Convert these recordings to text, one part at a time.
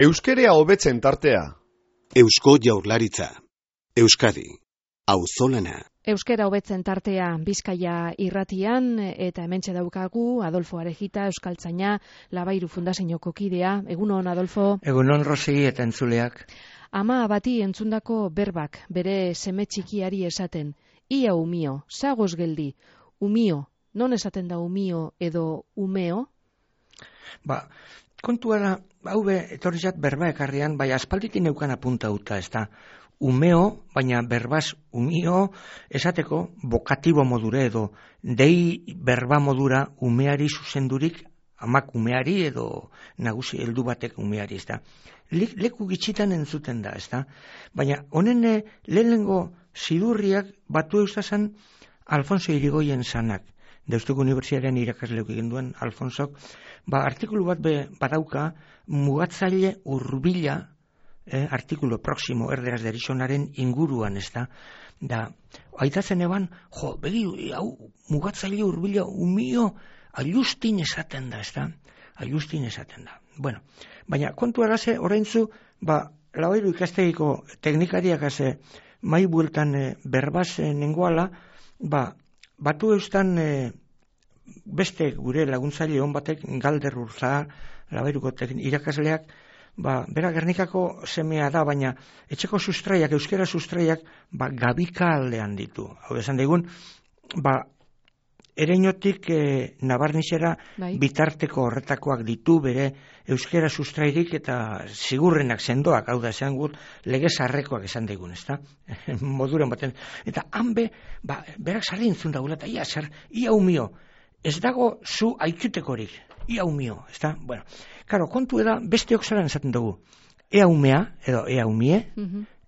Euskerea hobetzen tartea. Eusko Jaurlaritza. Euskadi. Auzolana. Euskera hobetzen tartea Bizkaia irratian, eta hementxe daukagu Adolfo Arejita, euskaltzaina, Labairu Fundazioko kidea. Egunon, Adolfo. Egunon, Rosi, eta entzuleak. Ama bati entzundako berbak bere seme txikiari esaten. Ia umio, zagoz geldi. Umio, non esaten da umio edo umeo? Kontua da, hau etorri zat berba ekarrian, bai aspalditin neukan apuntauta, ez da. Umeo, baina berbaz umio esateko bokatibo modure edo dei berba modura umeari zuzendurik, amak umeari edo nagusi heldu batek umeari, ez da. Leku gitxitan entzuten da, ez da. Baina honen lehenengo zidurriak batu eustazan Alfonso Irigoyen zanak. Deustuko Unibertsitatean irakasleuk egin duen Alfonsok, artikulu bat badauka mugatzaile hurbila, artikulu proximo erderaz derizonaren inguruan, ez da. Da, aitatzen eban, begi, hau, mugatzaile hurbila umio, ailustin esaten da, ez da. Ailustin esaten da. Bueno, baina kontu araze, oraintzu, Labairu ikastegiko teknikariak haze, mai bueltan berbaz nengoala, batu eustan beste gure laguntzaile hon batek Galder Urza, Labairuko irakasleak, bera Gernikako semea da, baina etxeko sustraiak, euskera sustraiak, gabika aldean ditu. Hau esan digun, ereinotik nabarnizera bitarteko horretakoak ditu bere euskera sustrairik eta sigurrenak sendoak, hau da esan gut, lege zarrekoak esan digun, ez da? Moduren baten. Eta hanbe, berak sarri entzun dagoela, eta ia umio, ez dago zu aikutekorik, ia umio, ez da? Bueno, karo, kontu eda besteok zaran esaten dugu, ea umea, edo ea umie,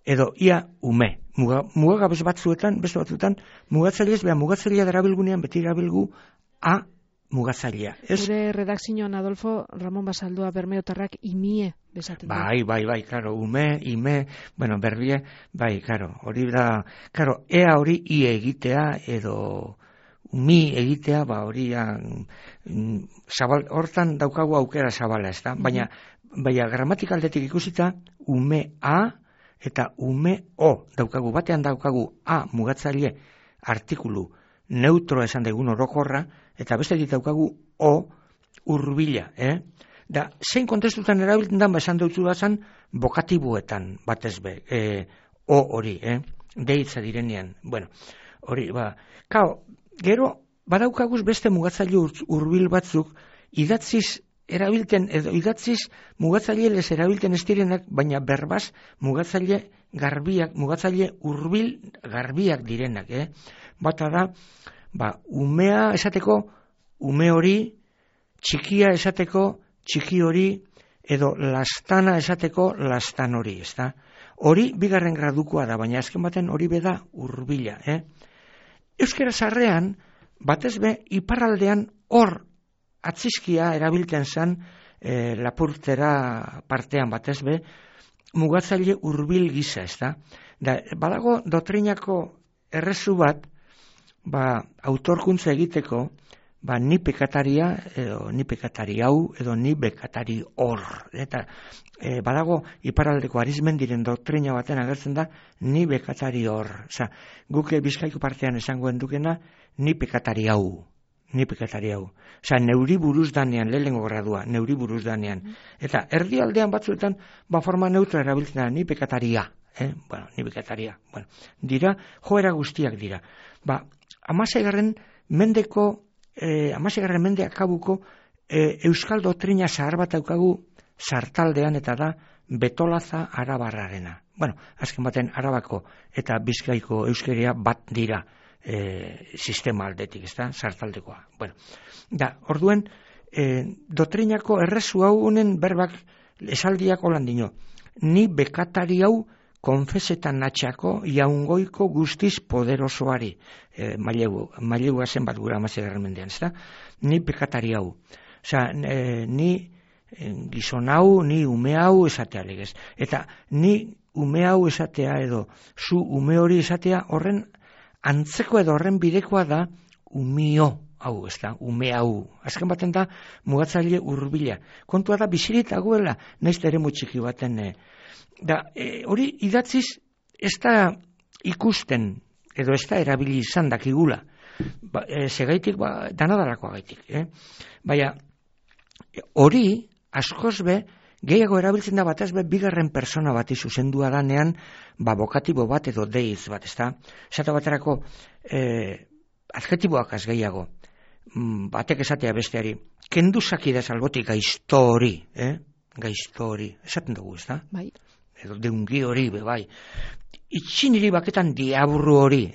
edo ia ume. Mugagabez batzuetan, beste batzuetan, mugatzailez, mugatzailea darabilgunean beti darabilgu a mugatzailea. Gure redakzioan, Adolfo, Ramon Basaldua Bermeotarrak imie bezaten da. Bai, karo, ume, ime, berbie, karo, hori da, karo, ea hori i egitea, edo umi egitea, hori hortan daukagu aukera zabala, ez da? Baina gramatikaldetik ikusita, ume a, eta ume o daukagu, batean daukagu a mugatzaile artikulu neutro esan degun orokorra, eta beste daukagu o hurbila, Da, zein kontestutan erabiltzen da, esan dutzu bazan, bokatibuetan, batez be, o hori, deitza direnean, hori, gero, badaukaguz beste mugatzaile hurbil batzuk, idatziz erabilten, edo idatziz mugatzaile erabilten ez direnak, baina berbaz mugatzaile garbiak, mugatzaile hurbil garbiak direnak, Bata da, umea esateko ume hori, txikia esateko txiki hori, edo lastana esateko lastan hori, ez da? Hori bigarren gradukoa da, baina azken baten hori beda hurbila, Euskera zarrean, batez be, iparraldean hor atzizkia erabiltzen zen lapurtera partean batez be, mugatzaile hurbil gisa, ez da? Badago doktrinako errezu bat, autorkuntza egiteko, ni pekataria, edo ni pekatari hau, edo ni bekatari hor. Eta badago iparraldeko Arizmendiren doktrina baten agertzen da, ni bekatari hor. Osa, guk Bizkaiko partean esangoen dukena, ni pekatari hau. Ni pekatari hau. Osa, neuri buruz danean, lehenengo gradua, neuri buruz danean. Eta erdialdean batzuetan, forma neutra erabiltzen da, ni pekataria. Ni pekataria. Dira, joera guztiak dira. 16. Mende akabuko euskal doktrina zahar bat daukagu sartaldean, eta da betolaza arabarrarena. Azken baten Arabako eta Bizkaiko euskeria bat dira sistema aldetik, ez da, sartaldekoa. Orduen, doktrinako errezu hau honen berbak esaldiak holan dino. Ni bekatari hau konfesetan natxako jaungoiko guztiz poderosoari, mailegu zen bat gura 16. mendean, ez da? Ni bekatari hau. Osa, ni gizon hau, ni ume hau esatea legez. Eta ni ume hau esatea edo zu ume hori esatea horren antzeko edo horren bidekoa da umio hau, ez da, ume hau. Azken baten da, mugatzaile hurbila. Kontua da, bizirik dagoela, naiz eremu txiki baten. Hori idatziz, ez da ikusten, edo ez da erabili izan dakigula. Segaitik, danadalakoa gaitik. Baina, hori, askoz be, gehiago erabiltzen da batez be, bigarren persona bati zuzendua danean, bokatibo bat edo deiz bat, ez da? Esate baterako, adjetiboak az gehiago, batek esatea besteari, kenduzaki da salbotik gaizto hori, gaizto hori, esaten dugu, ez da? Bai. Edo deungi hori, bai. Itxiniri baketan diaburu hori,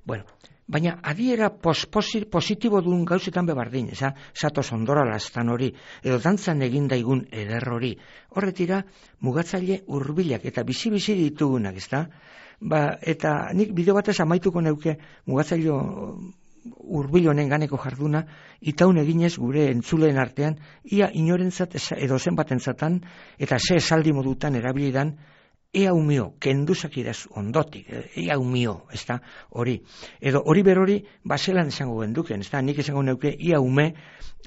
Bueno, baina adiera positibo duen gauzetan bebardin, zatoz ondora lastan hori, edo dantzan egin daigun eder hori, horretira mugatzaile hurbilak eta bizi-bizi ditugunak, ez da? Eta nik bideo batez amaituko neuke mugatzaile hurbil honen ganeko jarduna, itaun eginez gure entzuleen artean, ia inorentzat edo zenbatentzatan, eta ze esaldi modutan erabilidan, ea umio, kenduzak idaz ondotik, ea umio, ez da, hori. Edo hori berori, zelan esango genduken, ez da, nik esango neuke, ia ume,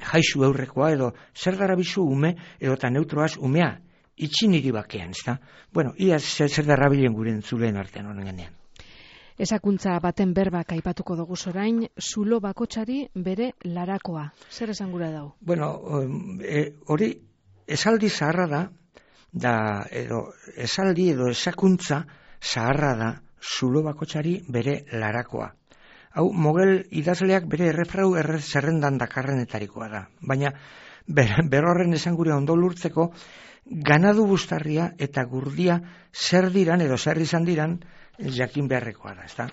jaizu eurrekoa, edo zer darabizu ume, edo eta neutroaz umea, itxiniri bakean, ez da. Bueno, ia zer darabilen gure entzuleen artean honen genean. Ezakuntza baten berbak aipatuko dugu orain, zulo bakotsari bere larakoa. Zer esan gura dau? Bueno, hori esaldi zaharra edo esaldi edo ezakuntza zaharra da zulo bakotsari bere larakoa. Hau, mogel idazleak bere errefrau zerrendan dakarrenetarikoa da. Baina, berorren esan gure ondo lurtzeko, ganadu bustarria eta gurdia zer diran edo zer izan diran jakin beharrekoa da, ezta?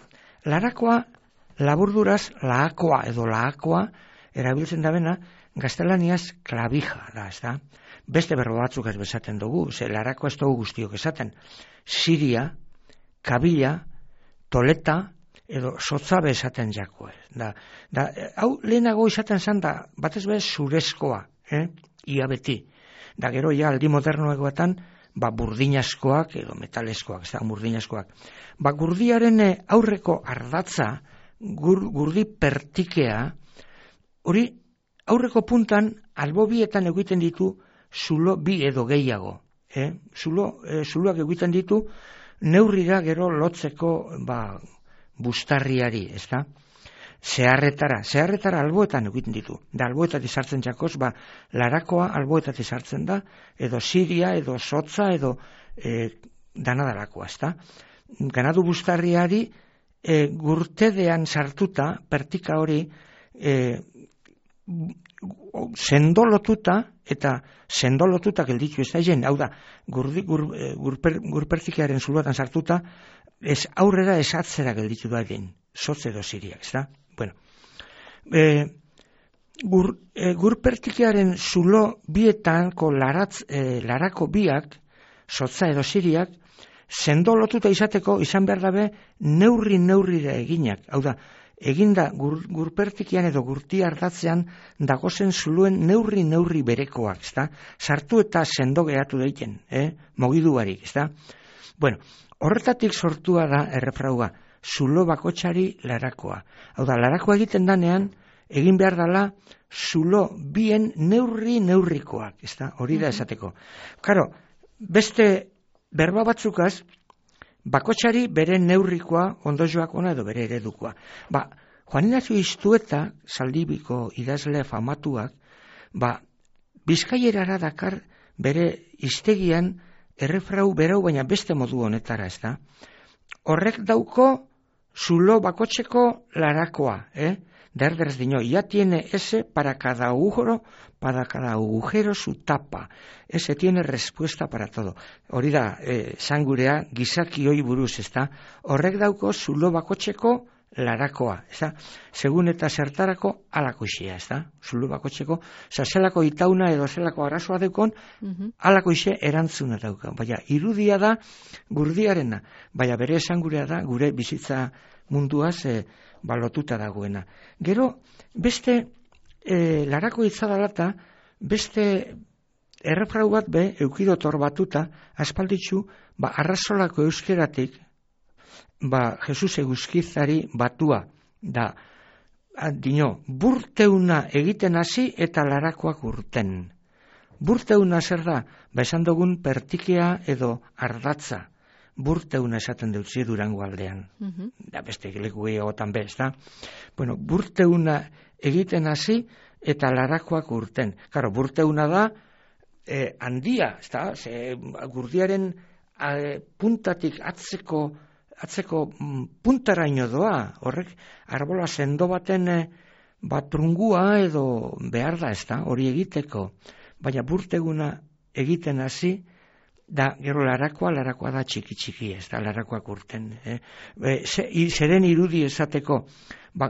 Larakoa, laburduraz, laakoa edo laakoa erabiltzen da bena, gaztelaniaz klavija da, ezta? Beste berro batzuk ez bezaten dugu, larakoa ez dugu guztiok esaten. Siria, kabila, toleta, edo sotzabe esaten jakoa. Hau lehenago izaten zan da, batez bez zurezkoa, ia beti. Da gero ja aldi modernoegoetan, burdinazkoak edo metalezkoak, ez da, burdinazkoak. Gurdiaren aurreko ardatza, gurdi pertikea, hori aurreko puntan, albobietan egiten ditu, zulo bi edo gehiago. Zuloak egiten ditu, neurrira gero lotzeko bustarriari, ez da? Zeharretara alboetan egiten ditu. Da alboetatik sartzen jakoz, larakoa alboetatik sartzen da, edo siria, edo sotza, edo danadalakoa, ez da? Ganadu bustarriari gurtedean sartuta, pertika hori, sendolotuta, eta sendolotuta gelditu ez da jen, hau da, gurpertikearen zuloatan sartuta, ez aurrera ez atzera gelditu da den, sotze edo siriak, ez da? Bueno, gurpertikearen zulo bietanko larako biak, sotza edo siriak, sendolotuta izateko izan behar dabe neurrira eginak, hau da, eginda gurpertikian edo gurti ardatzean dagozen zuluen neurri berekoak, ezta? Sartu eta sendo gehatu daiten, mogiduarik, ezta? Bueno, horretatik sortua da errefraua, zulo bakotsari larakoa. Hau da, larakoa egiten danean, egin behar dela zulo bien neurrikoak, ezta? Hori da esateko. Karo, beste berba batzukaz, bakotsari bere neurrikoa, ondozoak ona edo bere eredukoa. Juan Ignacio Iztueta, Zaldibiko idazle famatuak, Bizkaierara dakar bere hiztegian errefrau berau baina beste modu honetara, ez da? Horrek dauko zulo bakotseko larakoa, Derders diño, ya tiene ese para cada agujero su tapa. Ese tiene respuesta para todo. Hori da, sangurea gizaki hoi buruz, ez da? Horrek dauko zulo bakotseko larakoa, ez da? Segun eta zertarako alakoixea, ez da? Zulo bakotseko, zelako itauna edo zelako arazoa deukon, alakoixe erantzuna dauka. Baina, irudia da gurdiarena, baina bere sangurea da gure bizitza munduaz balotuta dagoena. Gero, beste larako itzadalata, beste errefrau bat eukidotor batuta, aspalditzu, arrazolako euskeratik, Jesus eguzkizari batua, da burteuna egiten hasi eta larakoak urten. Burteuna zer da? Esan dugun pertikea edo ardatza. Burteuna esaten dutzi Durango aldean. Da beste leku gehiagotan bez, da? Bueno, burteuna egiten hasi eta larakoak urten. Karo, burteuna da handia, ez da? Gurdiaren puntatik atzeko puntaraino doa, horrek arbola sendo baten trungua edo behar da, ez da? Hori egiteko. Baina burteguna egiten hasi, da gero larakoa da txiki, ez da, larakoak urten. Zeren irudi esateko,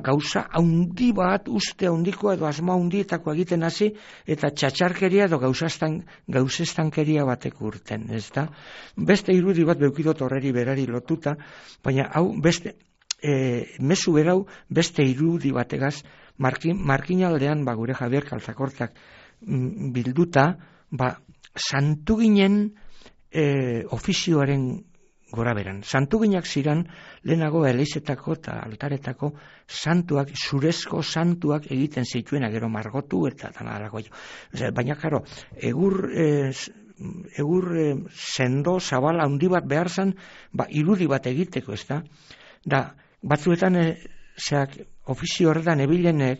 gauza haundi bat, uste haundiko edo asma haundietako egiten hasi, eta txatxarkeria edo gauzestankeria batek urten, ez da. Beste irudi bat beukidot horreri berari lotuta, baina hau beste, mezu berau beste irudi bategaz, markinaldean gure Javier Kaltzakortak bilduta, santu ginen ofizioaren gora beran. Santuginak ziren lehenago elizetako eta altaretako santuak, zurezko santuak egiten zituena, gero margotu eta tanarako. Baina, karo, egur sendo, zabala, handi bat behar zen, irudi bat egiteko, ez da? Da, batzuetan, ofizio horretan ebilenek,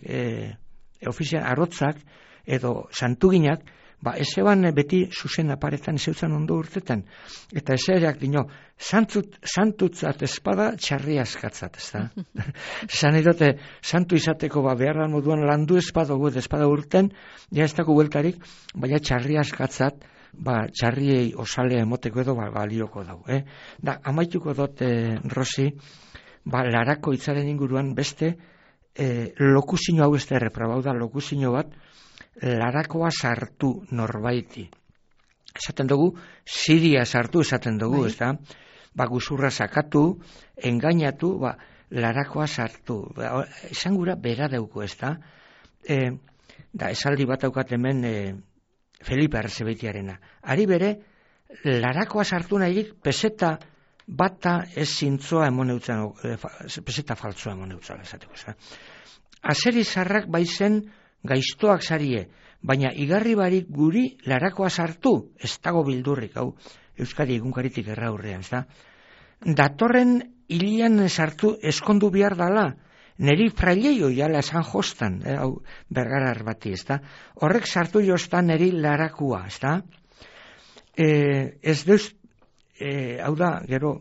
ofizioan arotzak, edo santuginak, ez eban beti zuzen aparetan zeutzen ondo urtetan. Eta ezereak dino, santutzat espada txarri askatzat, ez da? Zan edote, santu izateko beharran moduan landu espada urten, ja ez dago bueltarik, baina txarri askatzat, txarriei osalea emoteko edo balioko dau. Da, amaituko dut, Rosi, larako hitzaren inguruan beste, lokuzino hau ez da erreprobau da, lokuzino bat, larakoa sartu norbaiti. Esaten dugu, ziria sartu esaten dugu, ez da? Guzurra sakatu, engainatu, larakoa sartu. Esan gura bera dauko, ez da? Da, esaldi bat daukat hemen Felipe Arzebeitiarena. Ari bere, larakoa sartu nahirik peseta bata ez zintzoa emoneutzen, peseta faltzoa emoneutzen, esateko, ez da? Azeri zarrak baizen gaiztoak zarie, baina igarri barik guri larakoa sartu, ez dago bildurrik, hau Euskadi egunkaritik erraurrean, ez da? Datorren hilian sartu eskondu behar dala, neri fraileio jala esan jostan, hau bergarar bati, ez da? Horrek sartu jostan neri larakua, ez da? Ez deuz, hau da, gero,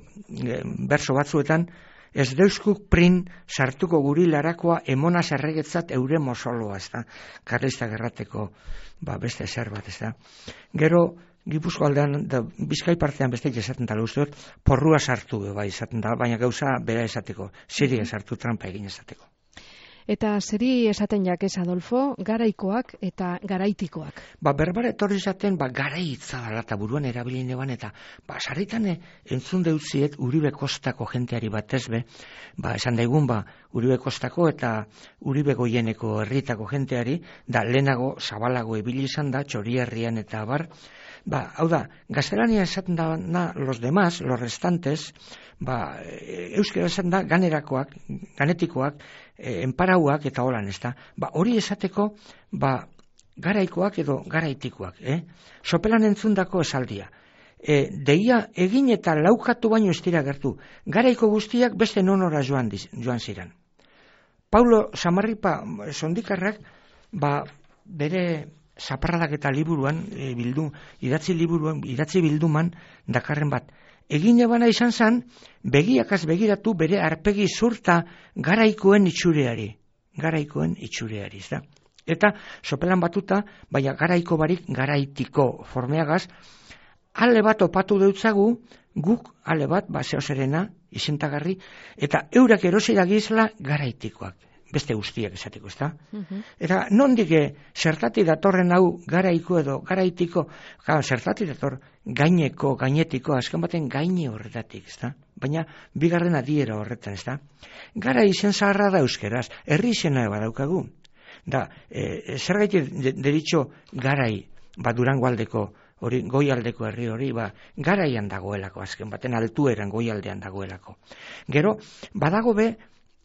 berso batzuetan, ez deuskuk prin sartuko guri larakoa emona zerregetzat eure mozoloa, ez da? Karlista gerrateko beste zer bat, ez da? Gero, Gipuzko aldean, Bizkai partean beste esaten dala uste dut, porrua sartu esaten dala, baina gauza bera esateko, ziria sartu trampa egin esateko. Eta zeri esaten jakez, Adolfo, garaikoak eta garaitikoak? Berbara etorri esaten, garaitza dala eta buruan erabilin eban, eta sarritan entzun deutziet Uribe Kostako jenteari batez be, esan daigun, Uribe Kostako eta Uribe Goieneko herritako jenteari, da lehenago zabalago ibili izan da, Txorierrian eta bar, hau da, gaztelania esaten da los demás, los restantes, euskera esaten da ganerakoak, ganetikoak, enparauak eta holan, ez da. Hori esateko, garaikoak edo garaitikoak, sopelan entzundako esaldia. Deia egin eta laukatu baino ez dira gertu. Garaiko guztiak beste nonora joan ziren. Paulo Samarripa sondikarrak, bere zaparradak eta liburuan, idatzi bilduman, dakarren bat, egin ebana izan zen, begiakaz begiratu bere arpegi zurta garaikoen itxureari, ez da? Eta, sopelan batuta, baina garaiko barik garaitiko formeagaz, ale bat opatu deutzagu, guk ale bat, zeoserena, izentagarri, eta eurak erosira gizla garaitikoak. Beste guztiak esateko, ez da? Eta nondik zertati datorren hau garaiko edo garaitiko, zertati dator gaineko, gainetiko, azken baten gaine horretatik, ez da? Baina bigarren adiera horretan, ez da? Gara izen zaharra da euskeraz, herri izena badaukagu. Da, zer gaitik deritxo garai, Durango aldeko, goialdeko herri hori, garaian dagoelako, azken baten altueran goialdean dagoelako. Gero, badago be,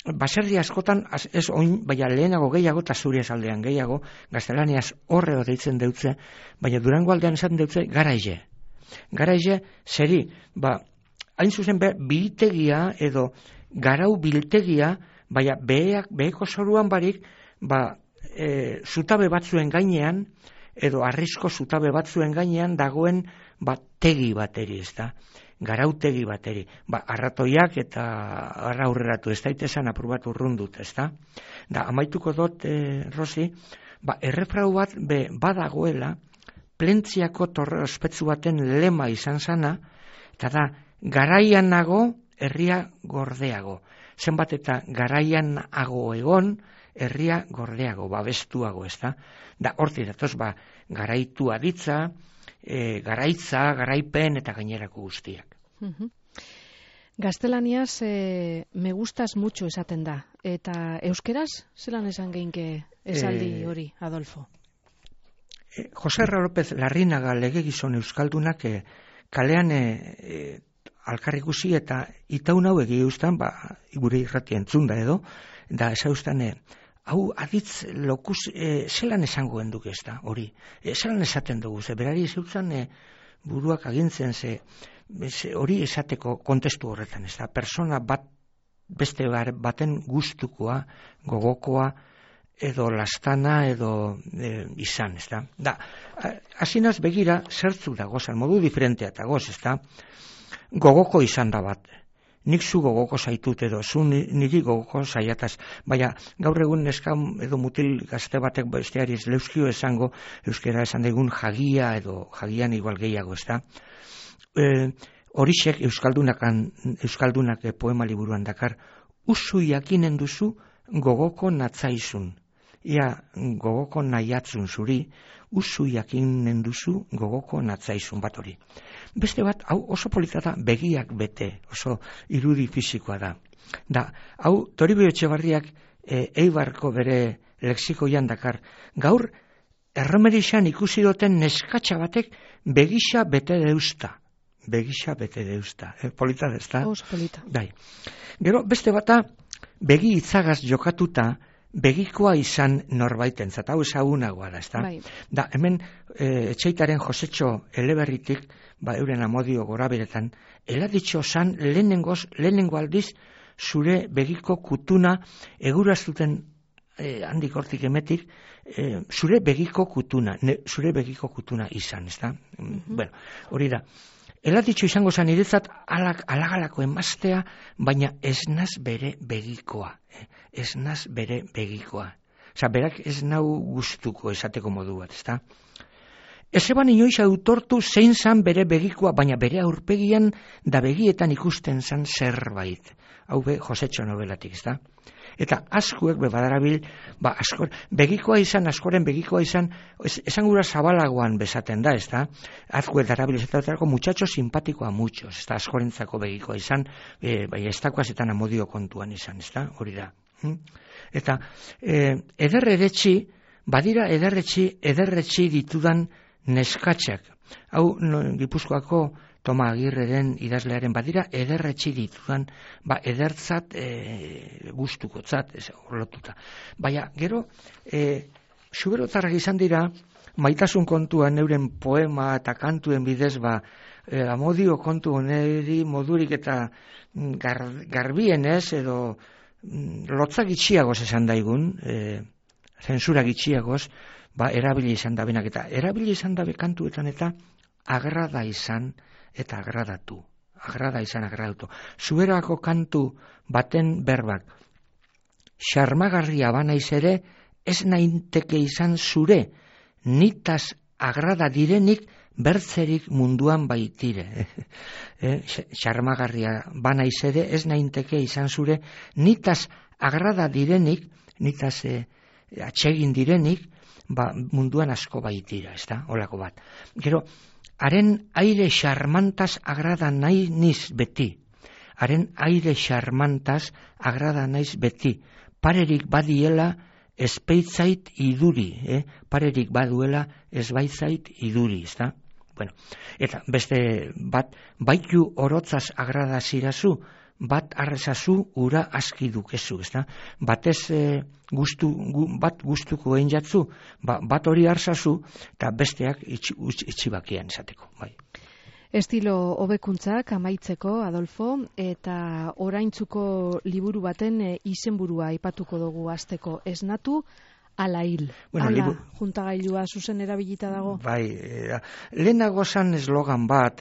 baserri askotan, ez oin, baina lehenago gehiago, eta zure aldean gehiago, gaztelaniaz horreo deitzen deutze, baina Durango aldean esaten deutze garaize. Garaize, zeri, hain zuzen biltegia edo garau biltegia, baina beheko zoruan barik, zutabe batzuen gainean, edo arrisko zutabe batzuen gainean dagoen tegi bateri, ez da? Garautegi bateri. Arratoiak eta arra aurreratu, ez daitezen apur bat urrundut, ez da? Da, amaituko dut, Rosi, errefrau bat badagoela, Plentziako torre ospetsu baten lema izan zana, eta da, garaian nago, herria gordeago. Zenbat eta garaian nago egon, herria gordeago, babestuago, ez da? Da, horti datoz, garaitua ditza, garaitza, garaipen eta gainerako guztiak. Gaztelaniaz, me gustas mucho esaten da. Eta euskeraz, zelan esan geinke esaldi hori, Adolfo? Jose R. López Larrinaga legegizon euskaldunak kalean alkarrikusi eta itaun hau egi eustan, gure irrati entzunda edo, da esaustan, hau aditz lokuz, zelan esangoen duk ez da, hori, zelan esaten dugu, berari zeutzen buruak agintzen, hori esateko kontestu horretan, ez da, persona bat, beste baten gustukoa, gogokoa, edo lastana, edo izan, ez da. Da, hasinaz begira, zertzu da gozan, modu diferentea eta goz, ez da, gogoko izan da bat. Nik zu gogoko zaitut edo, zu niri gogoko zaiataz. Baina, gaur egun neska edo mutil gazte batek besteari ez leuskio esango, euskera esan daigun jagia edo jagian igual gehiago, ez da. Horixek euskaldunak poema liburuan dakar, usu jakinen duzu gogoko natzaizun. Ia gogoko nahiatzun zuri, usu jakinen duzu gogoko natzaizun bat hori. Beste bat, hau oso polita da, begiak bete, oso irudi fisikoa da. Da, hau Toribio Etxebarriak Eibarko bere lexikoian dakar. Gaur, erromerixan ikusi duten neskatxa batek begisa bete deusta. Begisa bete deusta. Polita dezta? Oso polita. Dai. Gero, beste bata, begi itzagaz jokatuta, begikoa izan norbaitentzat, hau ezagunagoa da, ezta? Bai. Da, hemen Etxeitaren Josetxo Eleberritik, euren amodio goraberetan, eladitxo zan lehenengo aldiz zure begiko kutuna eguraztuten handik hortik emetik, zure begiko kutuna izan, ezta? Bueno, hori da. Eladitxo izango zan iretzat alagalako emaztea, baina ez naz bere begikoa. Ez naz bere begikoa. Osa, berak ez nau gustuko esateko modu bat, ezta? Ez eban inoiz autortu zein zan bere begikoa, baina bere aurpegian da begietan ikusten zan zerbait. Hau Josetxo nobelatik, ezta? Eta askuek badarabil, begikoa izan, askoren begikoa izan, esan gura zabalagoan bezaten da, ezta? Azkuek darabil ezaterako muchacho simpatikoa muchos, ezta? Askorentzako begikoa izan, bai estakoaz etan amodio kontuan izan, ezta? Hori da. Eta badira ederretxi ditudan neskatxak. Hau Gipuzkoako Toma Agirreren idazlearen badira ederretxi ditudan, edertzat gustukotzat, horlotuta. Baina, gero, suberotarrak izan dira, maitasun kontuan euren poema eta kantuen bidez, amodio kontu oneri modurik eta garbienez, edo lotzak itxiagoz esan daigun, zensura gitxiagoz, erabili izan da benak, eta erabili izan da kantuetan eta agrada izan eta agradatu. Agrada izan agradatu. Zuberako kantu baten berbak, xarmagarria banaiz ere, ez nainteke izan zure, nitaz agrada direnik bertzerik munduan baitire. Xarmagarria banaiz ere, ez nainteke izan zure, nitaz agrada direnik, nitaz atsegin direnik, munduan asko baitira, ez da, holako bat. Gero, haren aire xarmantaz agrada nahi niz beti. Haren aire xarmantaz agrada naiz beti. Parerik badiela ezpeitzait iduri. Parerik baduela ezbaitzait iduri, ez da? Bueno, eta beste bat, baitu orotzaz agrada zirazu, bat arrezazu, ura aski dukezu, ezta? Batez bat gustuko egin jatzu, bat hori arzazu, eta besteak itxibakian esateko, bai. Estilo hobekuntzak amaitzeko, Adolfo, eta oraintzuko liburu baten izenburua aipatuko dugu hasteko, esnatu, ala hil. Ala juntagailua zuzen erabilita dago? Bai, lehenago zan eslogan bat,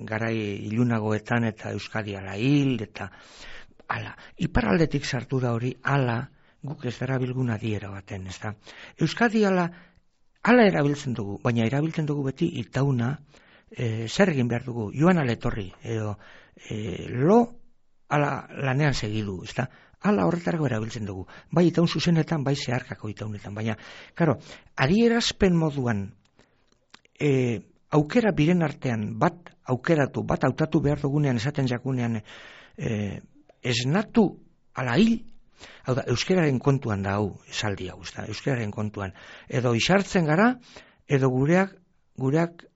garai ilunagoetan eta Euskadi ala hil, eta ala. Iparraldetik sartu da hori, ala, guk ez darabilgun adiera baten, ez da. Euskadi ala erabiltzen dugu, baina erabiltzen dugu beti itauna, zer egin behar dugu, joan ala etorri, edo lo ala lanean segidu, ez da. Ala horretarako erabiltzen dugu. Bai itaun zuzenetan, bai zeharkako itaunetan. Baina, karo, adierazpen moduan aukera biren artean bat aukeratu, bat hautatu behar dugunean esaten jakunean esnatu ala hil, hau da, euskeraren kontuan da hau, esaldi hau, euskeraren kontuan. Edo isartzen gara, edo gureak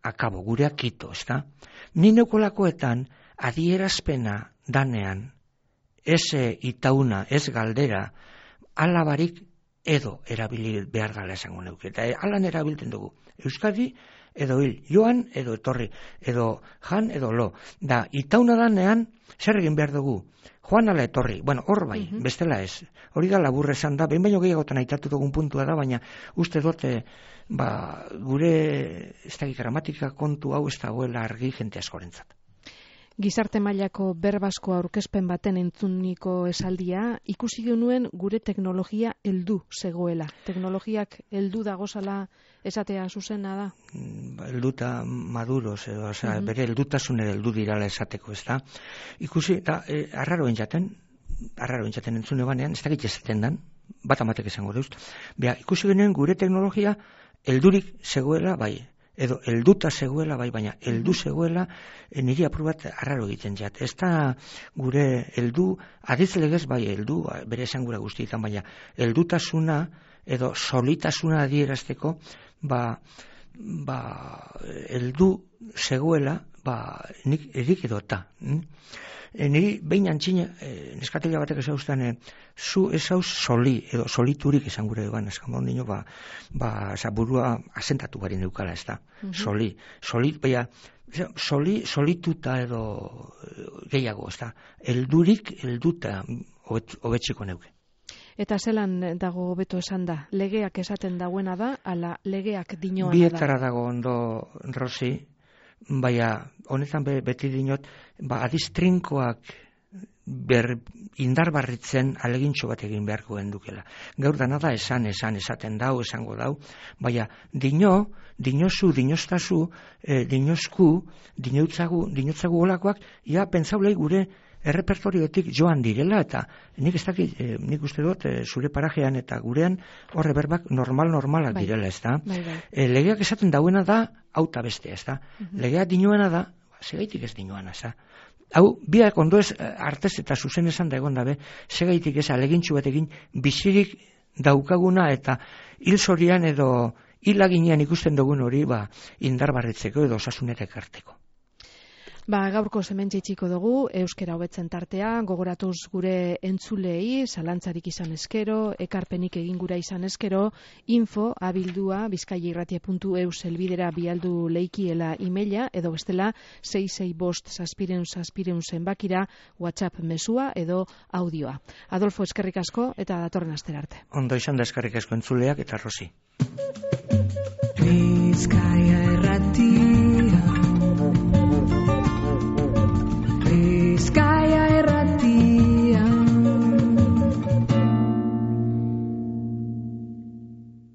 akabo, gureak kito, ez da? Ni neukolakoetan adierazpena danean, ez itauna, ez galdera, alabarik edo erabili behar gala esango neuke. Eta alan erabiltzen dugu. Euskadi edo hil, joan edo etorri, edo jan edo lo. Da, itauna danean, zer egin behar dugu? Joan ala etorri. Bueno, hor bai, bestela ez. Hori da laburre esan da, behin baino gehiagotan aitatu dugun puntua da, baina uste dut, gure ez da gramatika kontu hau ez dagoela argi jente askorentzat. Gizarte mailako berbasko aurkezpen baten entzuniko esaldia, ikusi genuen gure teknologia heldu zegoela. Teknologiak heldu dagozala esatea zuzena da? Helduta maduros, bere heldutasun ere heldu dirala esateko, ez da? Ikusi, eta arraro entzaten entzune banean, ez dakit ezaten dan, bat amatek esango deuz, ikusi genuen gure teknologia heldurik zegoela, bai, edo helduta zegoela, bai, baina heldu zegoela, niri aprobat arraro egiten jat. Ez da gure heldu, adiz legez bai heldu, bere esan gura guztietan, baina heldutasuna edo solitasuna adierazteko, heldu zegoela, nik erik edota. Niri behin antxina, neskatila batek esauztan, zu esauz soli, edo soliturik esan gure eban, eskan ondino, burua asentatu bari neukala, ez da. Solituta edo gehiago, ez da. Helduta hobetzeko neuke. Eta zelan dago hobeto esan da? Legeak esaten dagoena da, ala legeak dinoana da? Bietara dago ondo, Rosi, baina honetan beti dinot, adiz trinkoak indarbarritzen alegintxo bat egin beharko gendukela. Gaur dana da esaten dau, esango dau, baina dinozu, dinoztazu, dinozku, dinotzagu olakoak, pentsaulei gure errepertorioetik joan direla, eta nik uste dut zure parajean eta gurean horre berbak normalak direla, ez da? Legeak esaten dauena da, auta beste, ez da? Legeak dinoena da, segaitik ez dinoana, ez da? Hau, biak ondo ez artez eta zuzen esan da egon dabe, segaitik ez alegintxu bat egin bizirik daukaguna eta hil zorian edo hilaginean ikusten dugun hori indarbarritzeko edo osasunetek arteko. Gaurko hementxe itxiko dugu, euskera hobetzen tartea, gogoratuz gure entzulei, zalantzarik izan eskero, ekarpenik egin gura izan eskero, info@bizkaiairratia.eus helbidera bialdu leikiela emaila, edo bestela 665 zenbakira WhatsApp mesua edo audioa. Adolfo, eskerrik asko eta datorren astera arte. Ondo izan da eskerrik asko entzuleak eta Rosi. Bizkaia